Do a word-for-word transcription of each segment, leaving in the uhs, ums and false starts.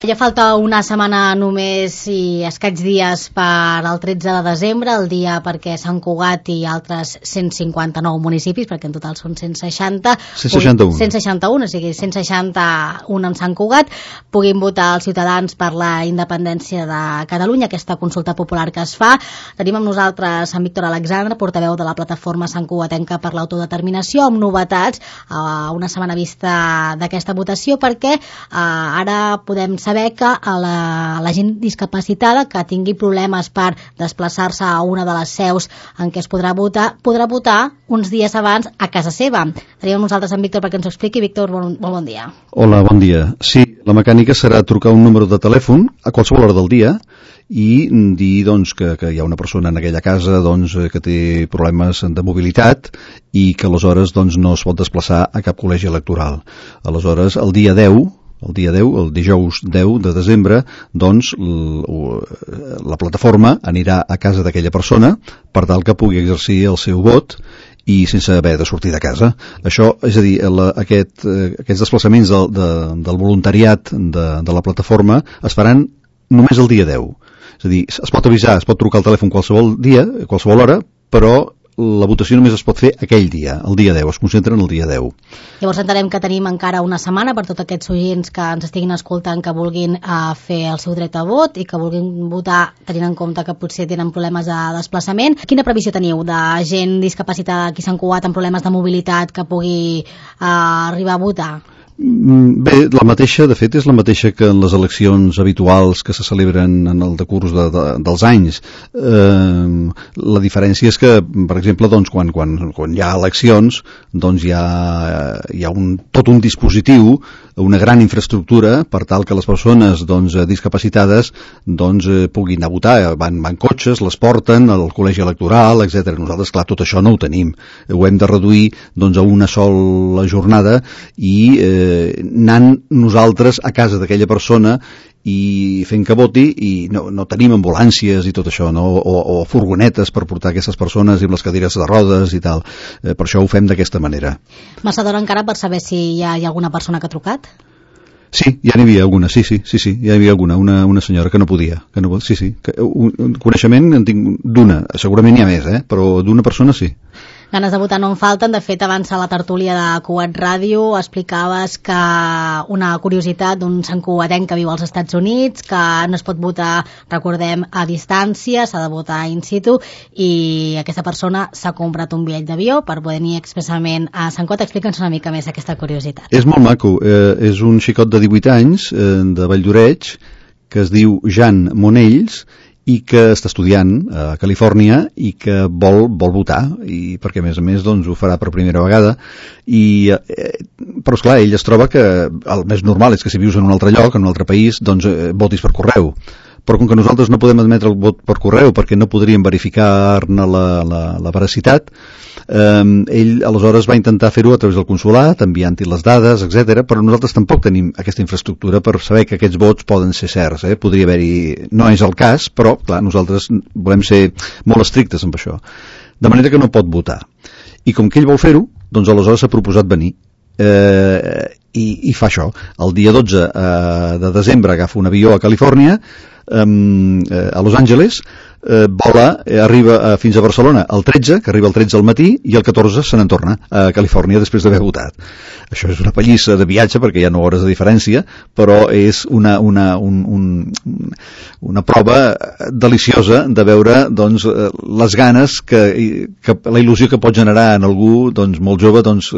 Ja falta una setmana només i escaig dies per al tretze de desembre, el dia perquè Sant Cugat i altres cent cinquanta-nou municipis, perquè en total són cent seixanta, cent seixanta-un, cent seixanta-un, o sigui cent seixanta-un amb Sant Cugat, puguin votar els ciutadans per la independència de Catalunya, aquesta consulta popular que es fa. Tenim amb nosaltres en Víctor Alexandre, portaveu de la plataforma Sant Cugatenca per l'autodeterminació, amb novetats a una setmana vista d'aquesta votació, perquè eh, ara podem saber que a la, la gent discapacitada que tingui problemes per desplaçar-se a una de les seus en què es podrà votar, podrà votar uns dies abans a casa seva. Tenim amb nosaltres en Víctor perquè ens ho expliqui. Víctor, bon, bon dia. Hola, bon dia. Sí, la mecànica serà trucar un número de telèfon a qualsevol hora del dia i dir doncs, que, que hi ha una persona en aquella casa doncs, que té problemes de mobilitat i que aleshores doncs, no es pot desplaçar a cap col·legi electoral. Aleshores, el dia deu, el dia deu, el dijous deu de desembre, doncs la plataforma anirà a casa d'aquella persona per tal que pugui exercir el seu vot i sense haver de sortir de casa. Això, és a dir, la, aquest, eh, aquests desplaçaments de, de, del voluntariat de, de la plataforma es faran només el dia deu. És a dir, es pot avisar, es pot trucar al telèfon qualsevol dia, qualsevol hora, però la votació només es pot fer aquell dia, el dia deu, es concentra en el dia deu. Llavors entenem que tenim encara una setmana per tots aquests oients que ens estiguin escoltant que vulguin uh, fer el seu dret a vot i que vulguin votar tenint en compte que potser tenen problemes de desplaçament. Quina previsió teniu de gent discapacitada aquí a Sant Cugat amb problemes de mobilitat que pugui uh, arribar a votar? Bé, la mateixa, de fet, és la mateixa que en les eleccions habituals que se celebren en el decurs de, de, dels anys. Eh, la diferència és que, per exemple, doncs, quan, quan, quan hi ha eleccions, doncs hi ha, hi ha un, tot un dispositiu, una gran infraestructura per tal que les persones doncs, discapacitades doncs, eh, puguin anar a votar. Van, van cotxes, les porten al col·legi electoral, etcètera. Nosaltres, clar, tot això no ho tenim. Ho hem de reduir doncs, a una sola jornada i eh, anant nosaltres a casa d'aquella persona i fent que voti i no, no tenim ambulàncies i tot això, no? o, o furgonetes per portar aquestes persones i amb les cadires de rodes i tal. Eh, per això ho fem d'aquesta manera. Massa d'hora encara per saber si hi ha, hi ha alguna persona que ha trucat? Sí, ja n'hi havia alguna, sí, sí, sí, sí, ja n'hi havia alguna, una, una senyora que no podia, que no, sí, sí, que, un, un coneixement en tinc d'una, segurament n'hi ha més, eh? Però d'una persona sí. Ganes de votar no en falten. De fet, abans a la tertúlia de Cugat Ràdio explicaves que una curiositat d'un Sant Cugatenc que viu als Estats Units, que no es pot votar, recordem, a distància, s'ha de votar in situ, i aquesta persona s'ha comprat un bitllet d'avió per poder venir expressament a Sant Cugat. Explica'ns una mica més aquesta curiositat. És molt maco, eh, és un xicot de divuit anys, eh, de Valldoreix, que es diu Jan Monells, i que està estudiant a Califòrnia i que vol, vol votar, i perquè a més a més doncs, ho farà per primera vegada. I, eh, però esclar, ell es troba que el més normal és que si vius en un altre lloc, en un altre país, doncs eh, votis per correu. Però com que nosaltres no podem admetre el vot per correu perquè no podríem verificar-ne la, la, la veracitat, eh, ell aleshores va intentar fer-ho a través del consolat, enviant-hi les dades, etcètera. Però nosaltres tampoc tenim aquesta infraestructura per saber que aquests vots poden ser certs. Eh? Podria haver-hi... No és el cas, però clar, nosaltres volem ser molt estrictes amb això. De manera que no pot votar. I com que ell vol fer-ho, doncs aleshores s'ha proposat venir. Eh, i, i fa això. El dia dotze eh, de desembre agafa un avió a Califòrnia, eh, a Los Angeles, eh, vola, eh, arriba eh, fins a Barcelona el tretze, que arriba el tretze al matí, i el catorze se n'en torna a Califòrnia després d'haver votat. Això és una pallissa de viatge perquè hi ha nou hores de diferència, però és una, una, un, un, una prova deliciosa de veure doncs, les ganes que, que la il·lusió que pot generar en algú doncs, molt jove doncs,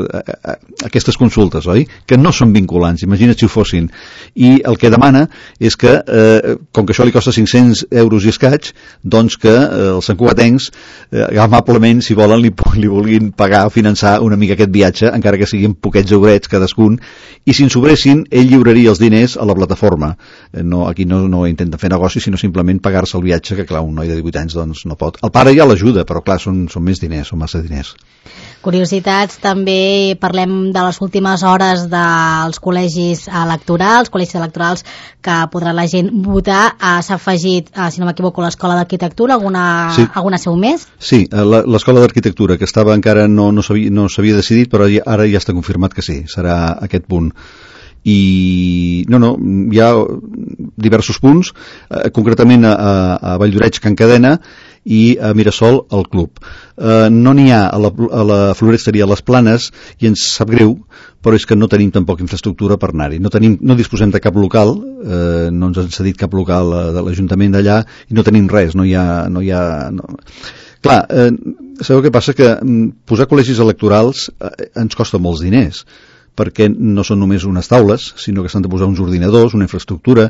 aquestes consultes, oi? Que no són vinculants, imagina't si ho fossin. I el que demana és que, eh, com que això li costa cinc-cents euros i escaig, doncs que eh, els santcugatencs eh, amablement, si volen, li, li vulguin pagar o finançar una mica aquest viatge, encara que siguin poquets eurets cadascun, i si en sobressin, ell lliuraria els diners a la plataforma. Eh, no, aquí no, no intenten fer negoci, sinó simplement pagar-se el viatge, que clar, un noi de divuit anys doncs, no pot. El pare ja l'ajuda, però clar, són, són més diners, són massa diners. Curiositats, també parlem de les últimes hores dels col·legis electorals, col·legis electorals que podrà la gent votar. S'ha afegit, si no m'equivoco, l'Escola d'Arquitectura, alguna, sí. alguna seu més? Sí, l'Escola d'Arquitectura, que estava encara no, no s'havia no s'havia decidit, però ara ja està confirmat que sí, serà aquest punt. I no, no, ja diversos punts, eh, concretament a, a Valldoreix, Can Cadena, i a Mirasol, el club. Eh, no n'hi ha a la, a la floresteria a les Planes, i ens sap greu, però és que no tenim tampoc infraestructura per anar-hi. No, tenim, no disposem de cap local, eh, no ens han cedit cap local de l'Ajuntament d'allà, i no tenim res, no hi ha... No hi ha no. Clar, eh, sabeu què passa? Que posar col·legis electorals eh, ens costa molts diners, perquè no són només unes taules, sinó que s'han de posar uns ordinadors, una infraestructura,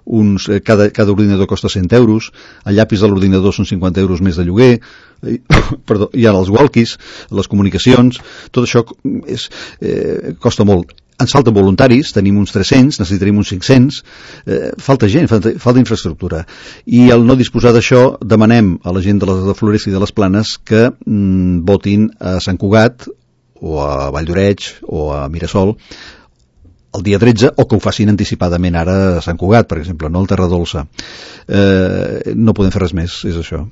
uns, eh, cada, cada ordinador costa cent euros, el llapis de l'ordinador són cinquanta euros més de lloguer, eh, perdó, hi ha els walkies, les comunicacions, tot això és, eh, costa molt. Ens falten voluntaris, tenim uns tres-cents, necessitaríem uns cinc-cents, eh, falta gent, falta, falta infraestructura. I al no disposar d'això, demanem a la gent de la de Floresta i de les Planes que mm, votin a Sant Cugat, o a Valldoreix, o a Mirasol, el dia tretze, o que ho facin anticipadament ara a Sant Cugat, per exemple, no al Terra Dolça. Eh, no podem fer res més, és això.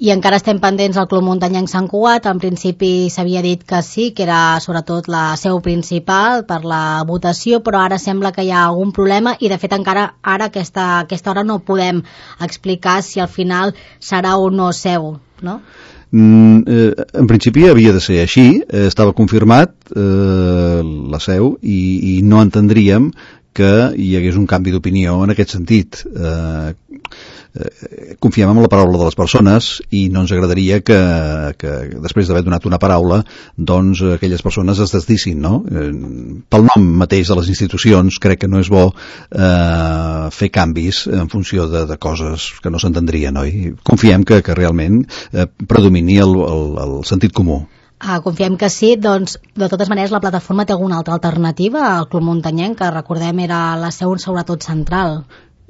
I encara estem pendents del Club Muntanyenc Sant Cugat. En principi s'havia dit que sí, que era sobretot la seu principal per la votació, però ara sembla que hi ha algun problema i de fet encara ara a aquesta, aquesta hora no podem explicar si al final serà o no seu, no? Mm, eh, en principi havia de ser així, eh, estava confirmat eh, la seu i, i no entendríem que hi hagués un canvi d'opinió en aquest sentit. Eh, eh, confiem en la paraula de les persones i no ens agradaria que, que després d'haver donat una paraula doncs aquelles persones es desdissin, no? Eh, pel nom mateix de les institucions crec que no és bo eh, fer canvis en funció de, de coses que no s'entendrien, oi? Confiem que, que realment eh, predomini el, el, el sentit comú. Ah, confiem que sí, doncs de totes maneres la plataforma té alguna altra alternativa al Club Muntanyenc, que recordem era la seu sobretot central.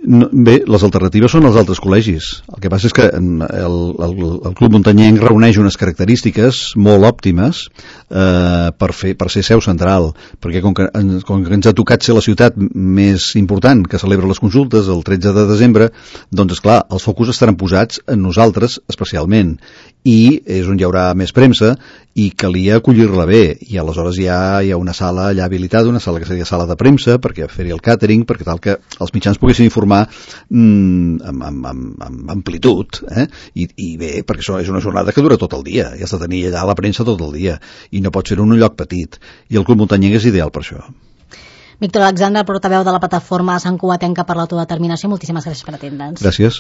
No, bé, les alternatives són els altres col·legis. El que passa és que el, el, el Club Muntanyenc reuneix unes característiques molt òptimes eh, per, fer, per ser seu central, perquè com que, com que ens ha tocat ser la ciutat més important que celebra les consultes el tretze de desembre, doncs esclar, els focus estaran posats en nosaltres especialment, i és on hi haurà més premsa i calia acollir-la bé, i aleshores hi ha, hi ha una sala allà habilitada, una sala que seria sala de premsa, perquè fer-hi el càtering, perquè tal que els mitjans poguessin informar mm, amb, amb, amb, amb amplitud, eh? I, i bé, perquè això és una jornada que dura tot el dia, i has de tenir allà la premsa tot el dia, i no pot ser en un lloc petit, i el Club Muntanyenc és ideal per això. Víctor Alexandre, portaveu de la plataforma Sant Cugatenca per l'autodeterminació, moltíssimes gràcies per atendre'ns. Gràcies.